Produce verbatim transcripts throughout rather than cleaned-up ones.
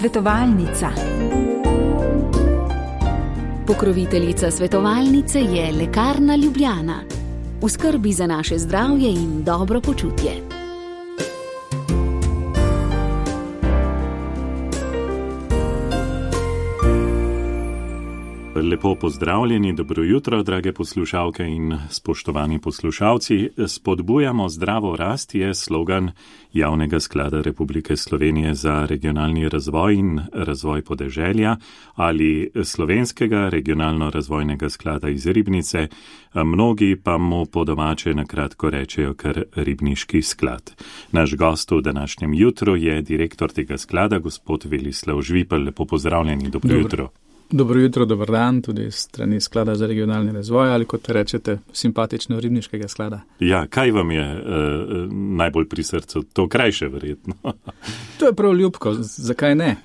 Svetovalnica. Pokroviteljica svetovalnice je Lekarna Ljubljana. V skrbi za naše zdravje in dobro počutje. Lepo pozdravljeni, dobro jutro, drage poslušalke in spoštovani poslušalci. Spodbujamo zdravo rast je slogan Javnega sklada Republike Slovenije za regionalni razvoj in razvoj podeželja ali Slovenskega regionalno-razvojnega sklada iz Ribnice. Mnogi pa mu po domače na kratko rečejo kar Ribniški sklad. Naš gost v današnjem jutru je direktor tega sklada, gospod Velislav Žvipel. Lepo pozdravljeni, dobro, dobro. jutro. Dobro jutro, dober dan, tudi strani Sklada za regionalni razvoj ali kot rečete, simpatično Ribniškega sklada. Ja, kaj vam je uh, najbolj pri srcu? To krajše verjetno. To je prav ljubko, zakaj ne?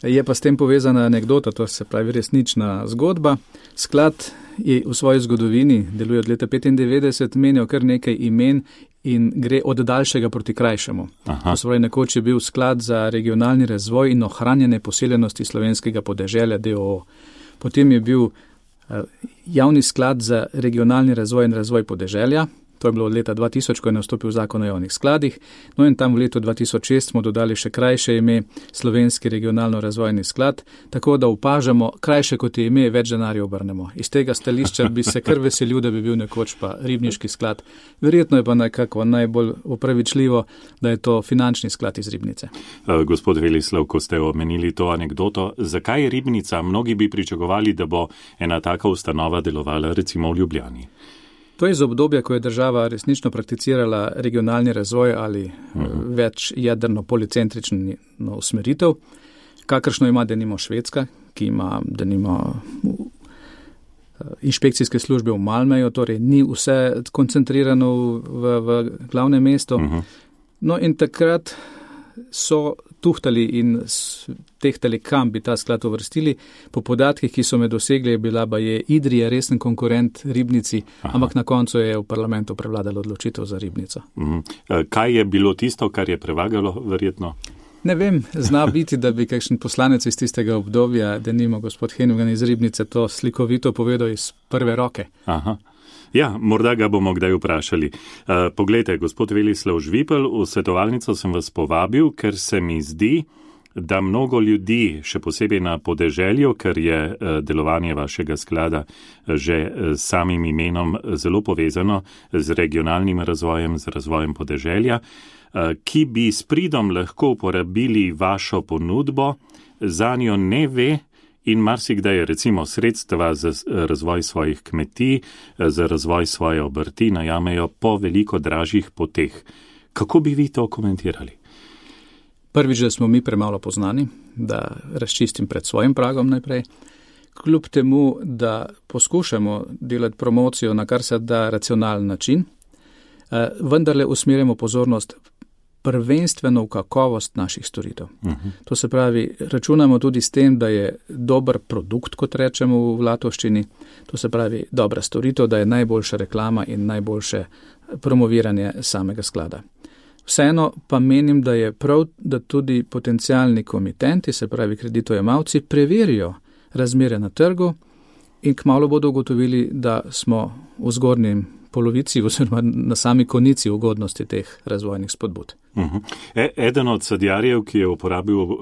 Je pa s tem povezana anekdota, to se pravi resnična zgodba. Sklad je v svoji zgodovini, deluje od leta petindevetdeset, menjal kar nekaj imen in gre od daljšega proti krajšemu. Aha. To se pravi, nekoč je bil Sklad za regionalni razvoj in ohranjanje poseljenosti slovenskega podeželja D O O. Potem je bil uh, Javni sklad za regionalni razvoj in razvoj podeželja. To je bilo od leta dva tisoč, ko je nastopil zakon o javnih skladih. No in tam v letu dva tisoč šest smo dodali še krajše ime Slovenski regionalno-razvojni sklad, tako da opažamo, krajše kot je ime, več denarja obrnemo. Iz tega stališča bi se kar veselil, da bi bil nekoč pa Ribniški sklad. Verjetno je pa nekako najbolj opravičljivo, da je to finančni sklad iz Ribnice. Gospod Velislav, ko ste omenili to anekdoto, zakaj je Ribnica? Mnogi bi pričakovali, da bo ena taka ustanova delovala recimo v Ljubljani. To je iz obdobja, ko je država resnično prakticirala regionalni razvoj ali uh-huh. več jedrno policentrično usmeritev, kakršno ima denimo Švedska, ki ima denimo inšpekcijske službe v Malmeju, torej ni vse koncentrirano v, v glavnem mestu. Uh-huh. No in takrat so tuhtali in tehtali, kam bi ta sklad uvrstili. Po podatkih, ki so me dosegli, je bila ba je Idrija resen konkurent Ribnici, Aha. ampak na koncu je v parlamentu prevladalo odločitev za Ribnico. Mhm. Kaj je bilo tisto, kar je prevagalo, verjetno? Ne vem, zna biti, da bi kakšen poslanec iz tistega obdobja, denimo gospod Hennigan iz Ribnice, to slikovito povedal iz prve roke. Aha. Ja, morda ga bomo kdaj vprašali. Uh, poglejte, gospod Velislav Žvipel, v svetovalnico sem vas povabil, ker se mi zdi, da mnogo ljudi, še posebej na podeželju, ker je uh, delovanje vašega sklada že uh, samim imenom zelo povezano z regionalnim razvojem, z razvojem podeželja, uh, ki bi s pridom lahko uporabili vašo ponudbo, za njo ne ve, in marsikdaj recimo sredstva za razvoj svojih kmetij, za razvoj svoje obrti najamejo po veliko dražjih poteh. Kako bi vi to komentirali? Prvič, da smo mi premalo poznani, da razčistim pred svojim pragom najprej. Kljub temu, da poskušamo delati promocijo na kar se da racionalen način, vendarle usmerjamo pozornost prvenstveno v kakovost naših storitev. Uh-huh. To se pravi, računamo tudi s tem, da je dober produkt, kot rečemo v Latovščini, to se pravi dobra storitev, da je najboljša reklama in najboljše promoviranje samega sklada. Vseeno pa menim, da je prav, da tudi potencialni komitenti, se pravi kreditojemalci, preverijo razmere na trgu in kmalu bodo ugotovili, da smo v zgornjem polovici oziroma na sami konici ugodnosti teh razvojnih spodbud. Uh-huh. E, eden od sadjarjev, ki je uporabil uh,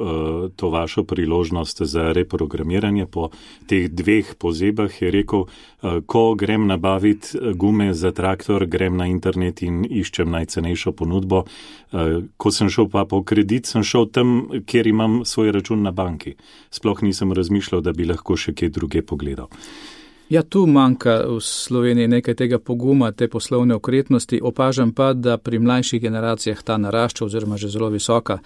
to vašo priložnost za reprogramiranje po teh dveh pozebah, je rekel, uh, ko grem nabaviti gume za traktor, grem na internet in iščem najcenejšo ponudbo. Uh, ko sem šel pa po kredit, sem šel tam, kjer imam svoj račun na banki. Sploh nisem razmišljal, da bi lahko še kje druge pogledal. Ja, tu manjka v Sloveniji nekaj tega poguma, te poslovne okretnosti. Opažam pa, da pri mlajših generacijah ta narašča oziroma že zelo visoka.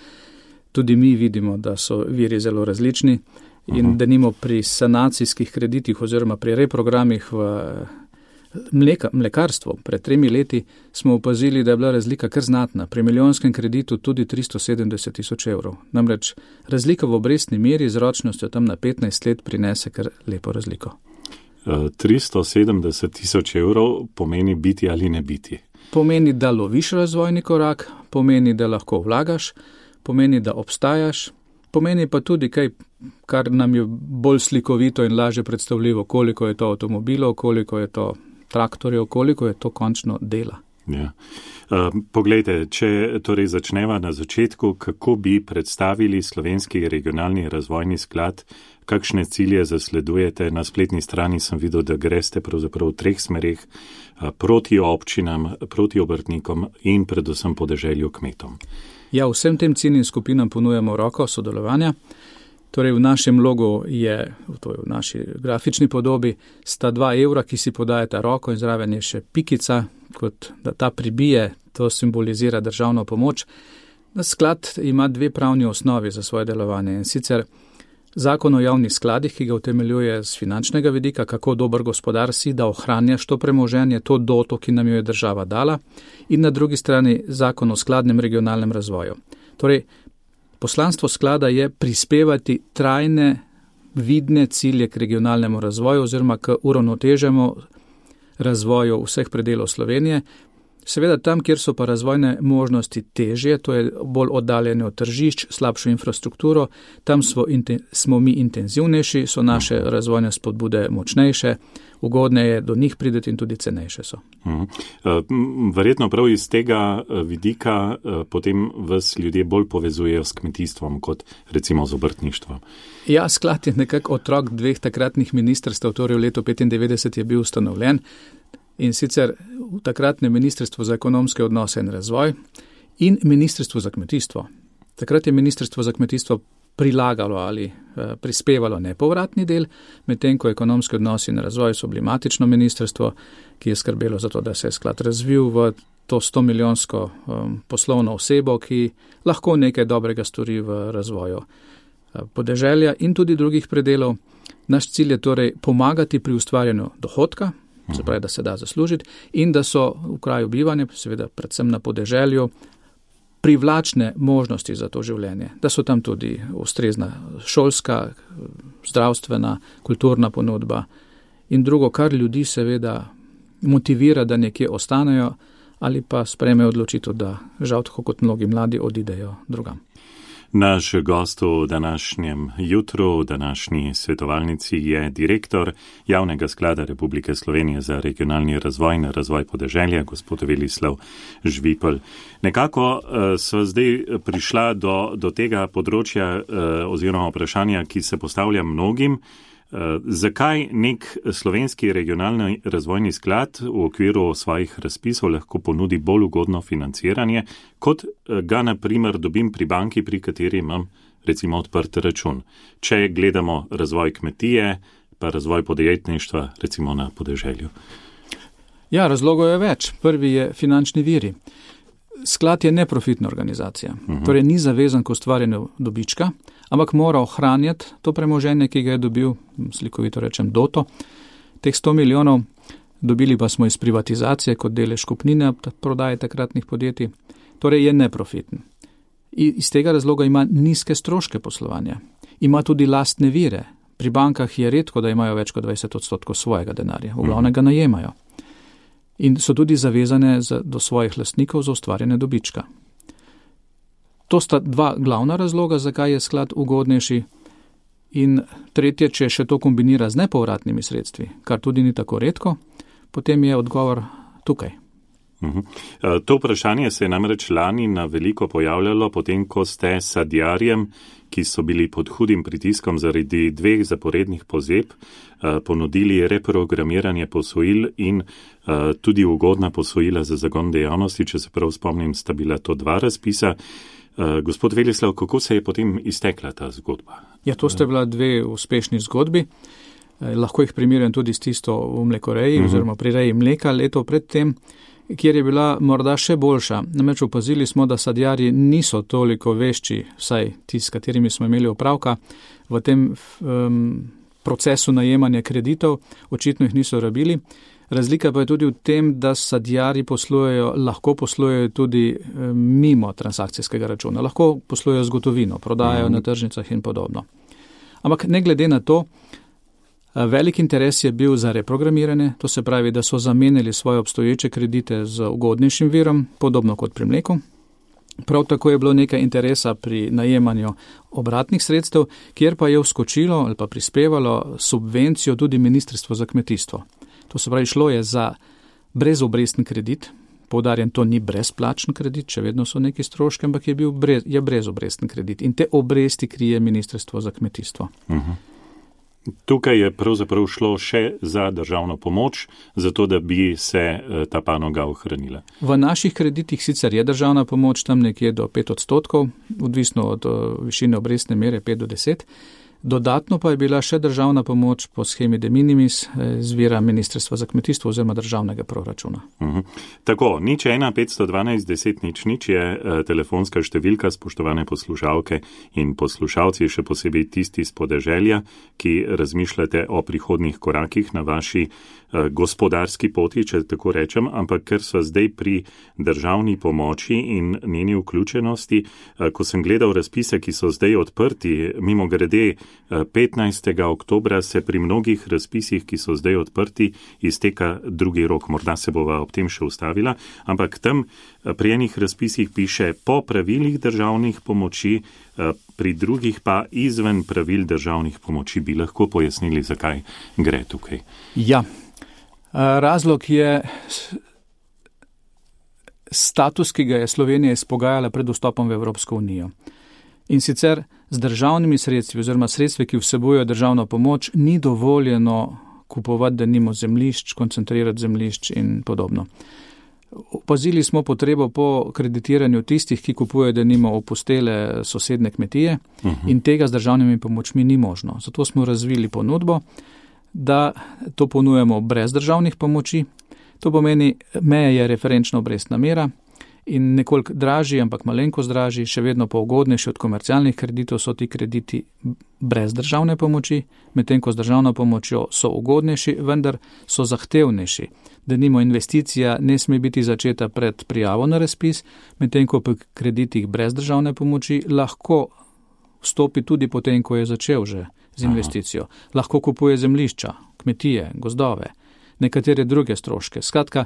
Tudi mi vidimo, da so viri zelo različni in uh-huh. denimo pri sanacijskih kreditih oziroma pri reprogramih v mleka, mlekarstvu pred tremi leti smo opazili, da je bila razlika kar znatna. Pri milijonskem kreditu tudi tristo sedemdeset tisoč evrov. Namreč razlika v obrestni meri z ročnostjo tam na petnajst let prinese kar lepo razliko. tristo sedemdeset tisoč evrov pomeni biti ali ne biti. Pomeni, da loviš razvojni korak, pomeni, da lahko vlagaš, pomeni, da obstajaš Pomeni pa tudi kaj, kar nam je bolj slikovito in lažje predstavljivo, koliko je to avtomobilov, koliko je to traktorjev, koliko je to končno dela. Ja. Uh, poglejte, če torej začneva na začetku, kako bi predstavili Slovenski regionalni razvojni sklad, kakšne cilje zasledujete? Na spletni strani sem videl, da greste pravzaprav v treh smerih, uh, proti občinam, proti obrtnikom in predvsem podeželju kmetom. Ja, vsem tem ciljnim skupinam ponujamo roko sodelovanja. Torej v našem logu je, to je v naši grafični podobi, sta dva evra, ki si podajata roko in zraven je še pikica, kot da ta pribije, to simbolizira državno pomoč. Sklad ima dve pravni osnovi za svoje delovanje in sicer zakon o javnih skladih, ki ga utemeljuje z finančnega vidika, kako dober gospodar si, da ohranjaš to premoženje, to doto, ki nam jo je država dala, in na drugi strani zakon o skladnem regionalnem razvoju. Torej, poslanstvo sklada je prispevati trajne, vidne cilje k regionalnemu razvoju oziroma k uravnoteženemu razvoju vseh predelov Slovenije. Seveda tam, kjer so pa razvojne možnosti težje, to je bolj oddaljene od tržišč, slabšo infrastrukturo, tam smo, smo mi intenzivnejši, so naše razvojne spodbude močnejše, ugodneje do njih prideti in tudi cenejše so. Verjetno prav iz tega vidika potem vas ljudje bolj povezujejo s kmetijstvom kot recimo z obrtništvom. Ja, sklad je nekako otrok dveh takratnih ministrstev, torej v letu petindevetdeset je bil ustanovljen. In sicer v takratnem Ministrstvu za ekonomske odnose in razvoj in Ministrstvu za kmetijstvo. Takrat je Ministrstvo za kmetijstvo prilagalo ali eh, prispevalo nepovratni del, medtem ko ekonomske odnose in razvoj so bili matično ministrstvo, ki je skrbelo za to, da se je sklad razvil v to sto milijonsko um, poslovno osebo, ki lahko nekaj dobrega stori v razvoju eh, podeželja in tudi drugih predelov. Naš cilj je torej pomagati pri ustvarjanju dohodka, se pravi, da se da zaslužiti in da so v kraju bivanja, seveda predvsem na podeželju, privlačne možnosti za to življenje, da so tam tudi ustrezna šolska, zdravstvena, kulturna ponudba in drugo, kar ljudi seveda motivira, da nekje ostanejo ali pa sprejmejo odločitev, da žal tako kot mnogi mladi odidejo drugam. Naš gost v današnjem jutru, v današnji svetovalnici je direktor Javnega sklada Republike Slovenije za regionalni razvoj in razvoj podeželja, gospod Velislav Žvipelj. Nekako uh, sva zdaj prišla do, do tega področja uh, oziroma vprašanja, ki se postavlja mnogim. Uh, zakaj nek slovenski regionalni razvojni sklad v okviru svojih razpisov lahko ponudi bolj ugodno financiranje, kot ga na primer dobim pri banki, pri kateri imam recimo odprt račun. Če gledamo razvoj kmetije, pa razvoj podjetništva recimo na podeželju. Ja, razlogov je več. Prvi je finančni viri. Sklad je neprofitna organizacija, uh-huh. Torej ni zavezan k ustvarjanju dobička, ampak mora ohranjati to premoženje, ki ga je dobil, slikovito rečem, doto. Teh sto milijonov dobili pa smo iz privatizacije kot delež kupnine prodaje takratnih podjetij, torej je neprofitn. In iz tega razloga ima nizke stroške poslovanja, ima tudi lastne vire. Pri bankah je redko, da imajo več kot dvajset odstotkov svojega denarja, v glavnem ga najemajo. In so tudi zavezane za, do svojih lastnikov za ustvarjanje dobička. To sta dva glavna razloga, zakaj je sklad ugodnejši. In tretje, če še to kombinira z nepovratnimi sredstvi, kar tudi ni tako redko, potem je odgovor tukaj. Uhum. To vprašanje se je namreč lani na veliko pojavljalo, potem ko ste sadjarjem, ki so bili pod hudim pritiskom zaradi dveh zaporednih pozeb, ponudili reprogramiranje posojil in tudi ugodna posojila za zagon dejavnosti, če se prav spomnim, sta bila to dva razpisa. Gospod Velislav, kako se je potem iztekla ta zgodba? Ja, to sta bila dve uspešni zgodbi. Lahko jih primerjam tudi s tisto v mlekoreji, uhum. oziroma pri reji mleka leto predtem, kjer je bila morda še boljša. Namreč opazili smo, da sadjarji niso toliko vešči, vsaj ti, s katerimi smo imeli opravka, v tem um, procesu najemanja kreditov, očitno jih niso rabili. Razlika pa je tudi v tem, da sadjarji poslujejo, lahko poslujejo tudi um, mimo transakcijskega računa, lahko poslujejo z gotovino, prodajajo mm. na tržnicah in podobno. Ampak ne glede na to, velik interes je bil za reprogramiranje, to se pravi, da so zamenjali svoje obstoječe kredite z ugodnejšim virom, podobno kot pri mleku. Prav tako je bilo nekaj interesa pri najemanju obratnih sredstev, kjer pa je vskočilo ali pa prispevalo subvencijo tudi Ministrstvo za kmetijstvo. To se pravi, šlo je za brezobrestni kredit. Poudarjam, to ni brezplačen kredit, še vedno so neki stroški, ampak je bil brez, je brezobrestni kredit in te obresti krije Ministrstvo za kmetijstvo. Uh-huh. Tukaj je pravzaprav šlo še za državno pomoč, zato da bi se ta panoga ohranila. V naših kreditih sicer je državna pomoč tam nekje do pet odstotkov, odvisno od višine obrestne mere pet do deset. Dodatno pa je bila še državna pomoč po schemi de minimis z vira Ministrstva za kmetijstvo oziroma državnega proračuna. Uh-huh. Tako, nič ena petsto dvanajst deset nič nič je uh, telefonska številka, spoštovane poslušalke in poslušalci, še posebej tisti iz podeželja, ki razmišljate o prihodnih korakih na vaši uh, gospodarski poti, če tako rečem, ampak ker so zdaj pri državni pomoči in njeni vključenosti, uh, ko sem gledal razpise, ki so zdaj odprti, mimo grede petnajstega oktobra se pri mnogih razpisih, ki so zdaj odprti, izteka drugi rok. Morda se bova ob tem še ustavila, ampak tam pri enih razpisih piše po pravilih državnih pomoči, pri drugih pa izven pravil državnih pomoči. Bi lahko pojasnili, zakaj gre tukaj? Ja, razlog je status, ki ga je Slovenija izpogajala pred vstopom v Evropsko unijo. In sicer z državnimi sredstvi oziroma sredstvi, ki vsebujejo državno pomoč, ni dovoljeno kupovati denimo zemljišč, koncentrirati zemljišč in podobno. Opazili smo potrebo po kreditiranju tistih, ki kupujejo denimo opustele sosedne kmetije uh-huh. in tega z državnimi pomočmi ni možno. Zato smo razvili ponudbo, da to ponujemo brez državnih pomoči. To pomeni, meja je referenčna obrestna mera, in nekoliko dražji, ampak malenkost dražji, še vedno pa ugodnejši od komercialnih kreditov so ti krediti brez državne pomoči, medtem ko z državno pomočjo so ugodnejši, vendar so zahtevnejši. Denimo investicija ne sme biti začeta pred prijavo na razpis, medtem ko pri kreditih brez državne pomoči lahko vstopi tudi potem, ko je začel že z investicijo. Aha. Lahko kupuje zemljišča, kmetije, gozdove, nekatere druge stroške. Skratka,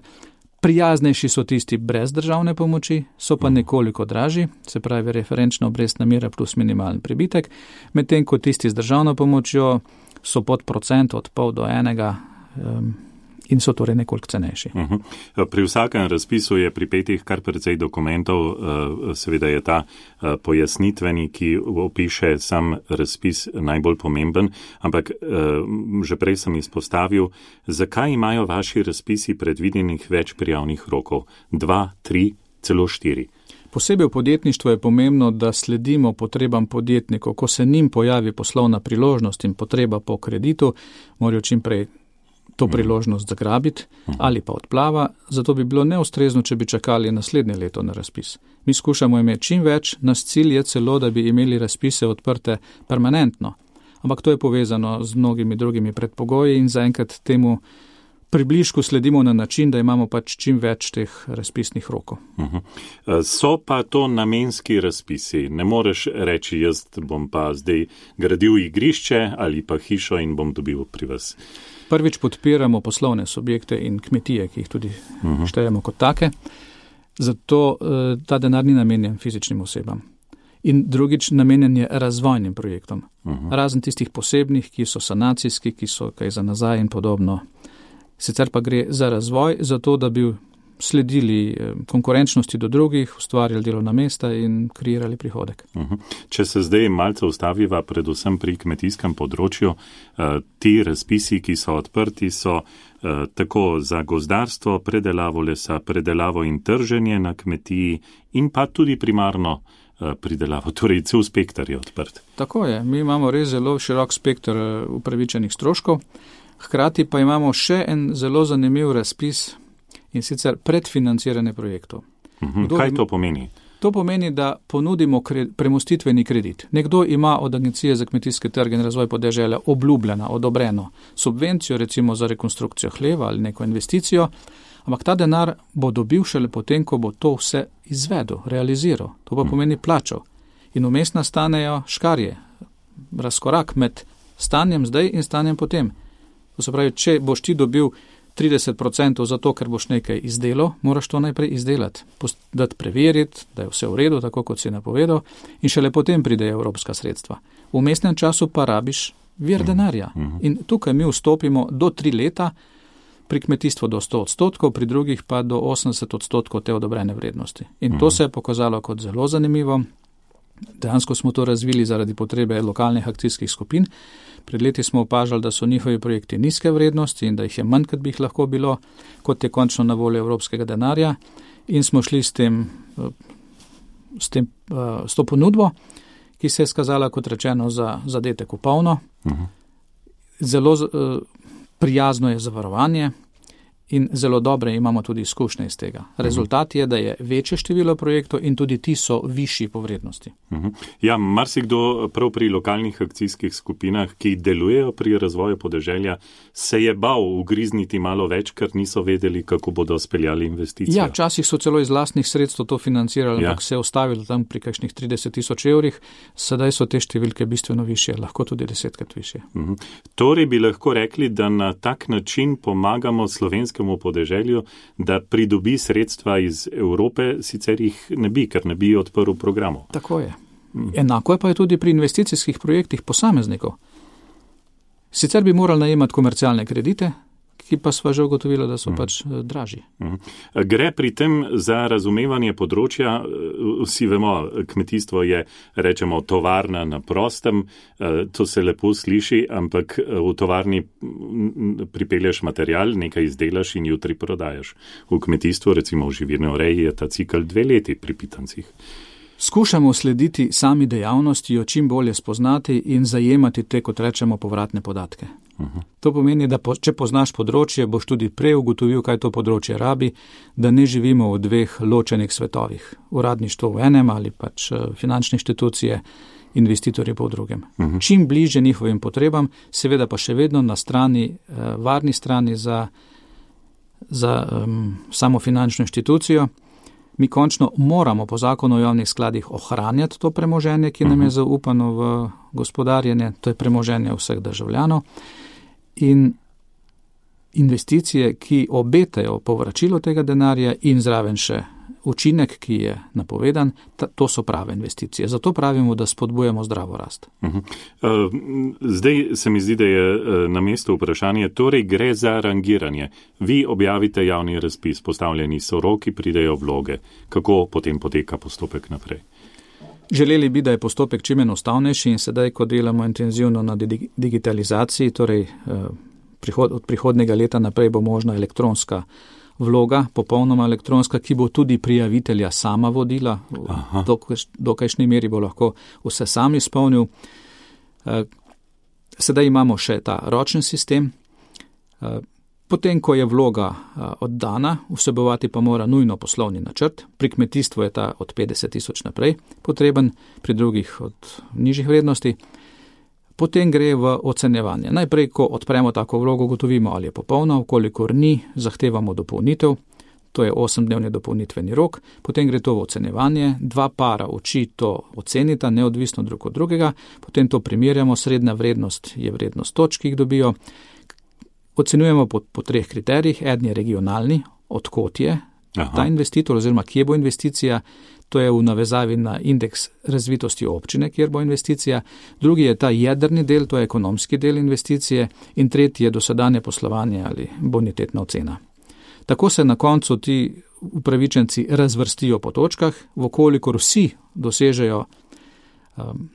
prijaznejši so tisti brez državne pomoči, so pa nekoliko dražji, se pravi referenčna obrestna mera plus minimalni pribitek, medtem ko tisti z državno pomočjo so pod procent od pol do enega um, in so torej nekoliko cenejši. Uh-huh. Pri vsakem razpisu je pripetih kar precej dokumentov, seveda je ta pojasnitveni, ki opiše sam razpis najbolj pomemben, ampak že prej sem izpostavil, zakaj imajo vaši razpisi predvidenih več prijavnih rokov? Dva, tri, celo štiri. Posebej v podjetništvu je pomembno, da sledimo potrebam podjetnikov. Ko se njim pojavi poslovna priložnost in potreba po kreditu, morajo čim prej to priložnost zagrabiti ali pa odplava, zato bi bilo neustrezno, če bi čakali naslednje leto na razpis. Mi skušamo imeti čim več, naš cilj je celo, da bi imeli razpise odprte permanentno, ampak to je povezano z mnogimi drugimi predpogoji in zaenkrat temu približku sledimo na način, da imamo pač čim več teh razpisnih rokov. Uh-huh. So pa to namenski razpisi. Ne moreš reči, jaz bom pa zdaj gradil igrišče ali pa hišo in bom dobil pri vas. Prvič podpiramo poslovne subjekte in kmetije, ki jih tudi uh-huh. štejemo kot take, zato ta denar ni namenjen fizičnim osebam. In drugič, namenjen je razvojnim projektom. Uh-huh. Razen tistih posebnih, ki so sanacijski, ki so kaj za nazaj in podobno. Sicer pa gre za razvoj, zato da bi sledili konkurenčnosti do drugih, ustvarjali delovna mesta in kreirali prihodek. Uh-huh. Če se zdaj malce ustaviva predvsem pri kmetijskem področju, ti razpisi, ki so odprti, so tako za gozdarstvo, predelavo lesa, predelavo in trženje na kmetiji in pa tudi primarno pridelavo, torej cel spektar je odprt. Tako je, mi imamo res zelo širok spektar upravičenih stroškov, hkrati pa imamo še en zelo zanimiv razpis in sicer predfinanciranje projektov. Uhum, kaj to pomeni? To pomeni, da ponudimo kre, premostitveni kredit. Nekdo ima od Agencije za kmetijske trge in razvoj podeželja obljubljena, odobreno subvencijo, recimo za rekonstrukcijo hleva ali neko investicijo, ampak ta denar bo dobil šele potem, ko bo to vse izvedel, realiziral. To pa pomeni plačal. In vmes nastanejo škarje, razkorak med stanjem zdaj in stanjem potem. To se pravi, če boš ti dobil trideset procentov zato, ker boš nekaj izdelal, moraš to najprej izdelati, dati preveriti, da je vse v redu, tako kot si napovedal, in šele potem pridejo evropska sredstva. V vmesnem času pa rabiš vir denarja. In tukaj mi vstopimo do tri leta, pri kmetijstvu do sto odstotkov, pri drugih pa do osemdeset odstotkov te odobrene vrednosti. In to se je pokazalo kot zelo zanimivo. Dejansko smo to razvili zaradi potrebe lokalnih akcijskih skupin. Pred leti smo opažali, da so njihovi projekti nizke vrednosti in da jih je manj, kot bi jih lahko bilo, kot je končno na voljo evropskega denarja. In smo šli s tem, s tem, s to ponudbo, ki se je skazala, kot rečeno, za zadetek v polno. Uh-huh. Zelo prijazno je zavarovanje in zelo dobre imamo tudi izkušnje iz tega. Rezultat je, da je večje število projektov in tudi ti so višji po vrednosti. Uh-huh. Ja, marsikdo prav pri lokalnih akcijskih skupinah, ki delujejo pri razvoju podeželja, se je bal ugrizniti malo več, ker niso vedeli, kako bodo speljali investicije. Ja, včasih so celo iz lastnih sredstev to financirali, ampak ja. se je ustavilo tam pri kakšnih trideset tisoč evrih, sedaj so te številke bistveno višje, lahko tudi desetkrat višje. Uh-huh. Torej bi lahko rekli, da na tak način pomagamo slovenskemu podeželju, da pridobi sredstva iz Evrope, sicer jih ne bi, ker ne bi odprl programov. Tako je. Enako je pa je tudi pri investicijskih projektih posameznikov. Sicer bi morali najemati komercialne kredite, ki pa sva že ugotovila, da so mm. pač dražji. Mm. Gre pri tem za razumevanje področja, vsi vemo, kmetijstvo je, rečemo, tovarna na prostem, to se lepo sliši, ampak v tovarni pripelješ material, nekaj izdelaš in jutri prodajaš. V kmetijstvu, recimo v živirni reji, je ta cikl dve leti pri pitancih. Skušamo slediti sami dejavnosti, jo čim bolje spoznati in zajemati te, kot rečemo, povratne podatke. Uh-huh. To pomeni, da po, če poznaš področje, boš tudi prej ugotovil, kaj to področje rabi, da ne živimo v dveh ločenih svetovih. Uradništvo v enem ali pač finančne inštitucije, investitorji pa v drugem. Uh-huh. Čim bliže njihovim potrebam, seveda pa še vedno na strani, varni strani za, za um, samo finančno inštitucijo. Mi končno moramo po zakonu o javnih skladih ohranjati to premoženje, ki nam je zaupano v gospodarjenje, to je premoženje vseh državljanov. In investicije, ki obetajo povračilo tega denarja in zraven še učinek, ki je napovedan, to so prave investicije. Zato pravimo, da spodbujamo zdravo rast. Zdaj se mi zdi, da je na mestu vprašanje, torej gre za rangiranje. Vi objavite javni razpis, postavljeni so roki, pridejo vloge. Kako potem poteka postopek naprej? Želeli bi, da je postopek čim enostavnejši in sedaj, ko delamo intenzivno na digitalizaciji, torej od prihodnjega leta naprej bo možna elektronska vloga, popolnoma elektronska, ki bo tudi prijavitelja sama vodila, v dokajšnji meri bo lahko vse sam izpolnil. Sedaj imamo še ta ročni sistem. Potem, ko je vloga oddana, vsebovati pa mora nujno poslovni načrt. Pri kmetijstvu je ta od petdeset tisoč naprej potreben, pri drugih od nižjih vrednosti. Potem gre v ocenjevanje. Najprej, ko odpremo tako vlogo, gotovimo, ali je popolna, vkolikor ni, zahtevamo dopolnitev, to je osemdnevni dopolnitveni rok, potem gre to v ocenjevanje, dva para oči to ocenita, neodvisno drug od drugega, potem to primerjamo, srednja vrednost je vrednost točk, ki jih dobijo, ocenjujemo po, po treh kriterijih, eden je regionalni, odkot je Aha. ta investitor, oziroma kje bo investicija, to je v navezavi na indeks razvitosti občine, kjer bo investicija, drugi je ta jedrni del, to je ekonomski del investicije in tretji je dosedanje poslovanje ali bonitetna ocena. Tako se na koncu ti upravičenci razvrstijo po točkah, vkolikor vsi dosežejo um,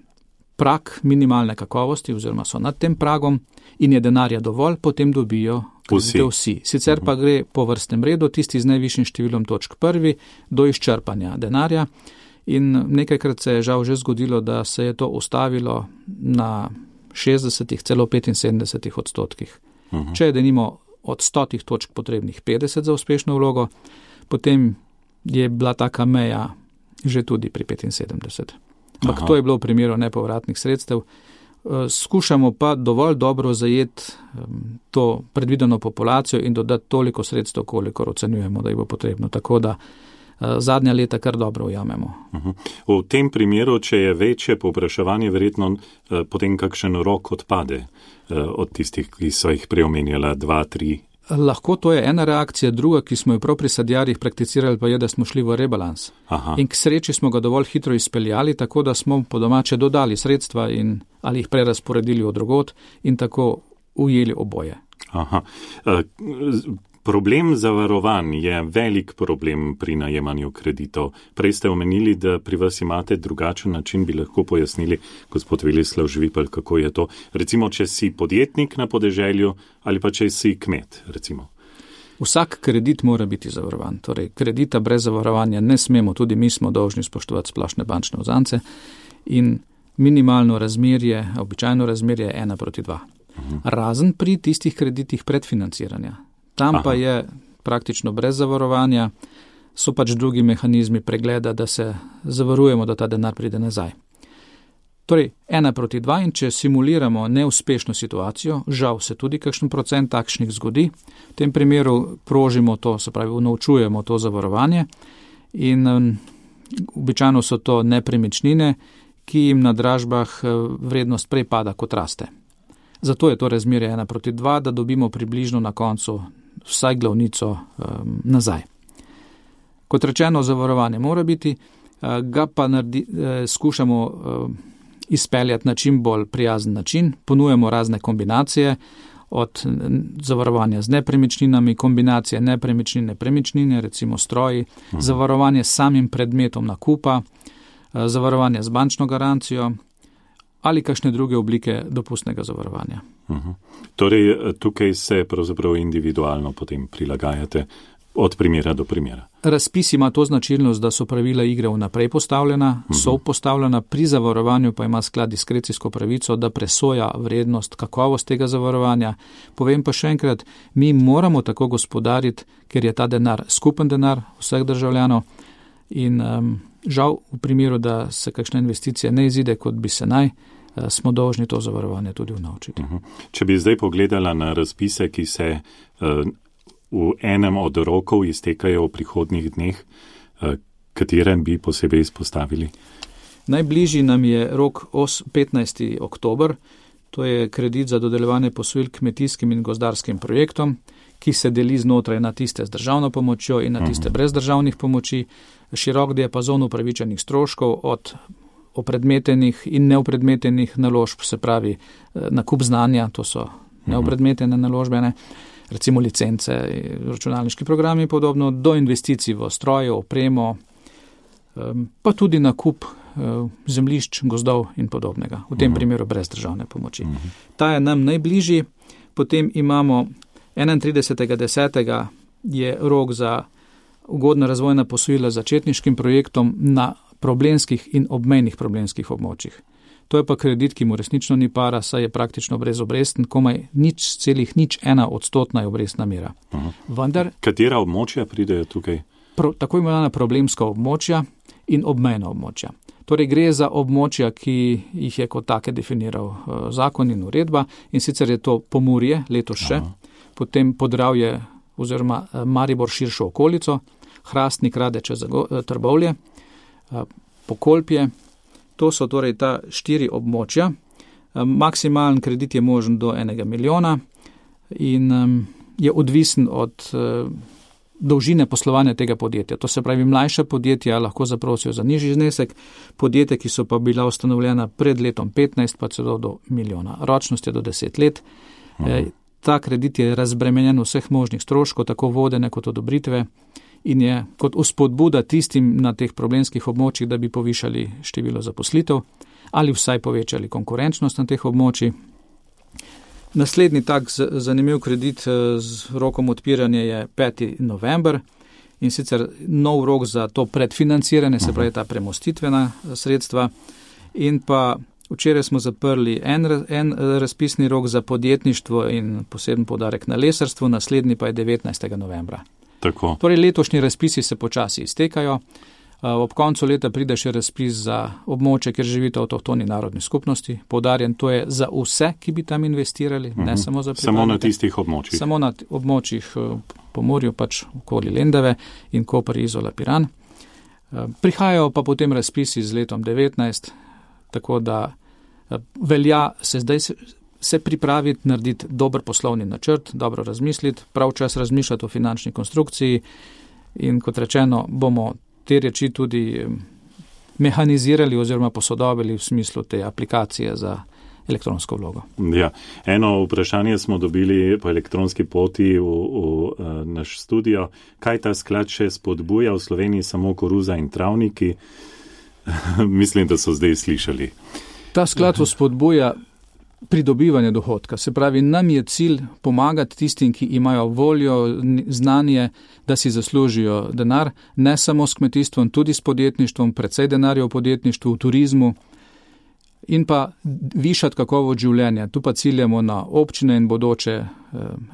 prag minimalne kakovosti oziroma so nad tem pragom in je denarja dovolj, potem dobijo vsi. vsi. Sicer pa gre po vrstnem redu, tisti z najvišjim številom točk prvi, do izčrpanja denarja in nekajkrat se je žal že zgodilo, da se je to ustavilo na šestdesetih, celo petinsedemdesetih odstotkih. Uh-huh. Če je denimo od stotih točk potrebnih petdeset za uspešno vlogo, potem je bila taka meja že tudi pri petinsedemdeset. Ampak to je bilo v primeru nepovratnih sredstev. Skušamo pa dovolj dobro zajeti to predvideno populacijo in dodati toliko sredstev, koliko ocenjujemo, da jih bo potrebno. Tako da zadnja leta kar dobro ujamemo. V tem primeru, če je večje povpraševanje, verjetno potem kakšen rok odpade od tistih, ki so jih preomenjala, dva, tri Lahko to je ena reakcija, druga, ki smo jo prav pri sadjarjih prakticirali, pa je, da smo šli v rebalans. Aha. In k sreči smo ga dovolj hitro izpeljali, tako da smo po domače dodali sredstva in ali jih prerasporedili od drugot in tako ujeli oboje. Aha. Problem zavarovanj je velik problem pri najemanju kreditov. Prej ste omenili, da pri vas imate drugačen način, bi lahko pojasnili, gospod Velislav Žvipel, kako je to. Recimo, če si podjetnik na podeželju ali pa če si kmet, recimo. Vsak kredit mora biti zavarovan. Torej, kredita brez zavarovanja ne smemo, tudi mi smo dolžni spoštovati splošne bančne vzance in minimalno razmerje, običajno razmerje je ena proti dva. Uh-huh. Razen pri tistih kreditih predfinanciranja. Tam Aha. pa je praktično brez zavarovanja, so pač drugi mehanizmi pregleda, da se zavarujemo, da ta denar pride nazaj. Torej, ena proti dva in če simuliramo neuspešno situacijo, žal se tudi kakšen procent takšnih zgodi, v tem primeru prožimo to, se pravi, unovčujemo to zavarovanje in um, običajno so to nepremičnine, ki jim na dražbah vrednost prej pada kot raste. Zato je to razmerje ena proti dva, da dobimo približno na koncu vsaj glavnico um, nazaj. Kot rečeno, zavarovanje mora biti, uh, ga pa naredi, uh, skušamo uh, izpeljati na čim bolj prijazen način, ponujemo razne kombinacije, od zavarovanja z nepremičninami, kombinacije nepremičnine, premičnine, recimo stroji, uh-huh. zavarovanje s samim predmetom nakupa, uh, zavarovanje z bančno garancijo, ali kakšne druge oblike dopustnega zavarovanja. Uh-huh. Torej, tukaj se pravzaprav individualno potem prilagajate od primera do primera. Razpis ima to značilnost, da so pravila igre vnaprej postavljena, uh-huh. so postavljena, pri zavarovanju pa ima sklad diskrecijsko pravico, da presoja vrednost, kakovost tega zavarovanja. Povem pa še enkrat, mi moramo tako gospodariti, ker je ta denar skupen denar vseh državljanov in um, žal v primeru, da se kakšna investicija ne izide, kot bi se naj, smo dolžni to zavarovanje tudi vnovčiti. Uh-huh. Če bi zdaj pogledala na razpise, ki se uh, v enem od rokov iztekajo v prihodnjih dneh, uh, katerem bi posebej izpostavili? Najbližji nam je rok petnajsti oktober, to je kredit za dodeljevanje posojil kmetijskim in gozdarskim projektom, ki se deli znotraj na tiste z državno pomočjo in na tiste uh-huh. brez državnih pomoči. Širok diapazon upravičenih stroškov od opredmetenih in neopredmetenih naložb, se pravi nakup znanja, to so neopredmetene naložbene, recimo licence, računalniški programi in podobno, do investicij v stroje, opremo, pa tudi nakup zemljišč, gozdov in podobnega, v tem primeru brez državne pomoči. Ta je nam najbližji, potem imamo enaintridesetega desetega je rok za ugodna razvojna posojila začetniškim projektom na problemskih in obmejnih problemskih območjih. To je pa kredit, ki mu resnično ni para, saj je praktično brezobrestn, komaj nič celih nič ena odstotna je obrestna mera. Vendar, katera območja pridejo tukaj? Pro, tako imenovana problemska območja in obmejna območja. Torej gre za območja, ki jih je kot take definiral uh, zakon in uredba, in sicer je to Pomurje, letos še, Aha. potem Podravje oziroma uh, Maribor širšo okolico, Hrastnik, Radeče, Zago, uh, Trbovlje, Pokolpje, to so torej ta štiri območja. Maksimalen kredit je možen do enega milijona in um, je odvisen od uh, dolžine poslovanja tega podjetja. To se pravi, mlajša podjetja lahko zaprosijo za nižji znesek, podjetja, ki so pa bila ustanovljena pred letom petnajst, pa celo do milijona. Ročnost je do deset let. E, ta kredit je razbremenjen vseh možnih stroškov, tako vodene kot odobritve, in je kot vzpodbuda tistim na teh problemskih območjih, da bi povišali število zaposlitev ali vsaj povečali konkurenčnost na teh območjih. Naslednji tak zanimiv kredit z rokom odpiranja je peti november in sicer nov rok za to predfinanciranje, se pravi ta premostitvena sredstva, in pa včeraj smo zaprli en, en razpisni rok za podjetništvo in poseben poudarek na lesarstvo, naslednji pa je devetnajstega novembra. Tako. Torej letošnji razpisi se počasi iztekajo. Ob koncu leta pride še razpis za območje, kjer živite avtohtoni narodni skupnosti. Poudarjen, to je za vse, ki bi tam investirali, uh-huh. ne samo za pripadnike. Samo na tistih območjih. Samo na območjih Pomorju, pač okoli Lendave in Koper, Izola, Piran. Prihajajo pa potem razpisi z letom devetnajst, tako da velja, se zdaj se pripraviti, narediti dober poslovni načrt, dobro razmisliti, prav čas razmišljati o finančni konstrukciji in kot rečeno, bomo te reči tudi mehanizirali oziroma posodobili v smislu te aplikacije za elektronsko vlogo. Ja, eno vprašanje smo dobili po elektronski poti v, v, v naš studio. Kaj ta sklad še spodbuja v Sloveniji, samo koruza in travniki? Mislim, da so zdaj slišali. Ta sklad spodbuja pridobivanje dohodka. Se pravi, nam je cilj pomagati tistim, ki imajo voljo, znanje, da si zaslužijo denar, ne samo s kmetijstvom, tudi s podjetništvom, precej denarja v podjetništvu, v turizmu, in pa višati kakovost življenja. Tu pa ciljamo na občine in bodoče eh,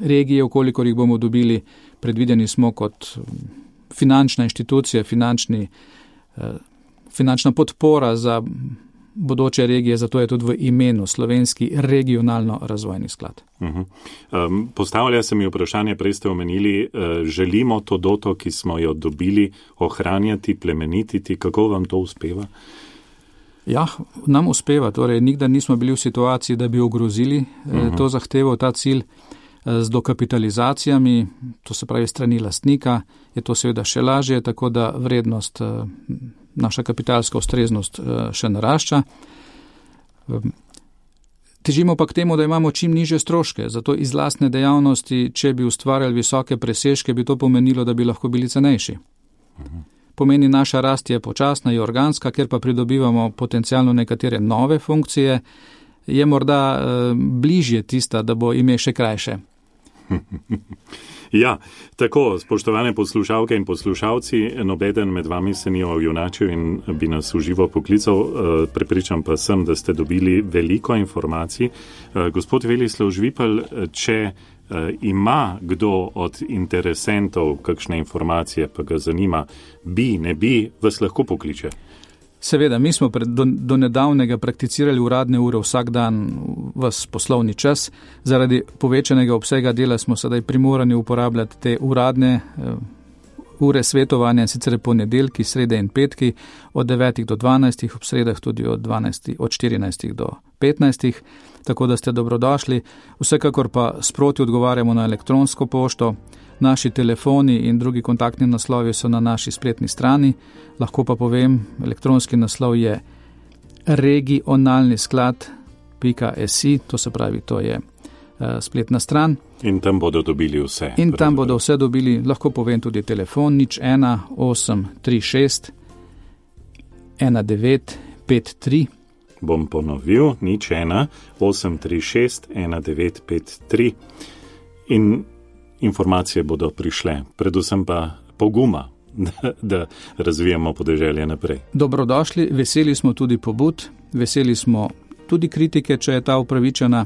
regije, ukolikor jih bomo dobili. Predvideni smo kot finančna inštitucija, finančni, eh, finančna podpora za bodoče regije, zato je tudi v imenu Slovenski regionalno razvojni sklad. Uh-huh. Um, postavlja se mi vprašanje, prej ste omenili, uh, želimo to doto, ki smo jo dobili, ohranjati, plemenititi. Kako vam to uspeva? Ja, nam uspeva. Torej, nikdar nismo bili v situaciji, da bi ogrozili uh-huh. to zahtevo, ta cilj. Z dokapitalizacijami, to se pravi strani lastnika, je to seveda še lažje, tako da vrednost, naša kapitalska ustreznost še narašča. Težimo pa k temu, da imamo čim nižje stroške, zato iz lastne dejavnosti, če bi ustvarjali visoke presežke, bi to pomenilo, da bi lahko bili cenejši. Pomeni, naša rast je počasna in organska, ker pa pridobivamo potencialno nekatere nove funkcije, je morda eh, bližje tista, da bo ime še krajše. Ja, tako, spoštovane poslušalke in poslušalci, nobeden med vami se ni ojunačil in bi nas v živo poklical, prepričam pa sem, da ste dobili veliko informacij. Gospod Velislav Žvipelj, če ima kdo od interesentov kakšne informacije, pa ga zanima, bi, ne bi, vas lahko pokliče? Seveda, mi smo pred, do, do nedavnega prakticirali uradne ure vsak dan vas poslovni čas. Zaradi povečanega obsega dela smo sedaj primorani uporabljati te uradne uh, ure svetovanja, sicer ponedeljki, srede in petki, od devetih do dvanajstih, ob sredah tudi od, dvanajstih, od štirinajstih do petnajstih, tako da ste dobrodošli. Vsekakor pa sproti odgovarjamo na elektronsko pošto. Naši telefoni in drugi kontaktni naslovi so na naši spletni strani. Lahko pa povem, elektronski naslov je regionalni sklad pika si, to se pravi, to je uh, spletna stran. In tam bodo dobili vse. In tam bodo vse dobili, lahko povem tudi telefon, nič ena osem tri šest ena devet pet tri. Bom ponovil, nič ena osem tri šest ena devet pet tri. In informacije bodo prišle, predvsem pa poguma, da, da razvijamo podeželje naprej. Dobrodošli, veseli smo tudi pobud, veseli smo tudi kritike, če je ta upravičena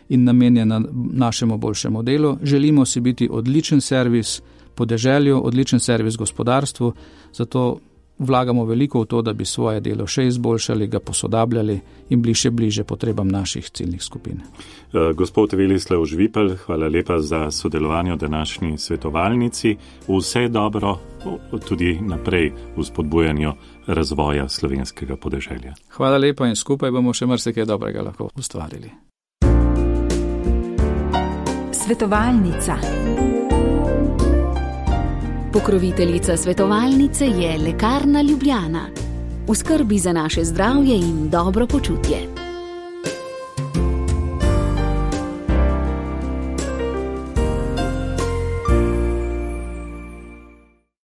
in namenjena našemu boljšemu delu. Želimo si biti odličen servis podeželju, odličen servis gospodarstvu, zato vlagamo veliko v to, da bi svoje delo še izboljšali, ga posodabljali in bliže bliže potrebam naših ciljnih skupin. Gospod Velislav Žvipelj, hvala lepa za sodelovanje v današnji svetovalnici. Vse dobro tudi naprej v spodbujanju razvoja slovenskega podeželja. Hvala lepa in skupaj bomo še marsikaj dobrega lahko ustvarili. Svetovalnica. Pokroviteljica svetovalnice je Lekarna Ljubljana. V skrbi za naše zdravje in dobro počutje.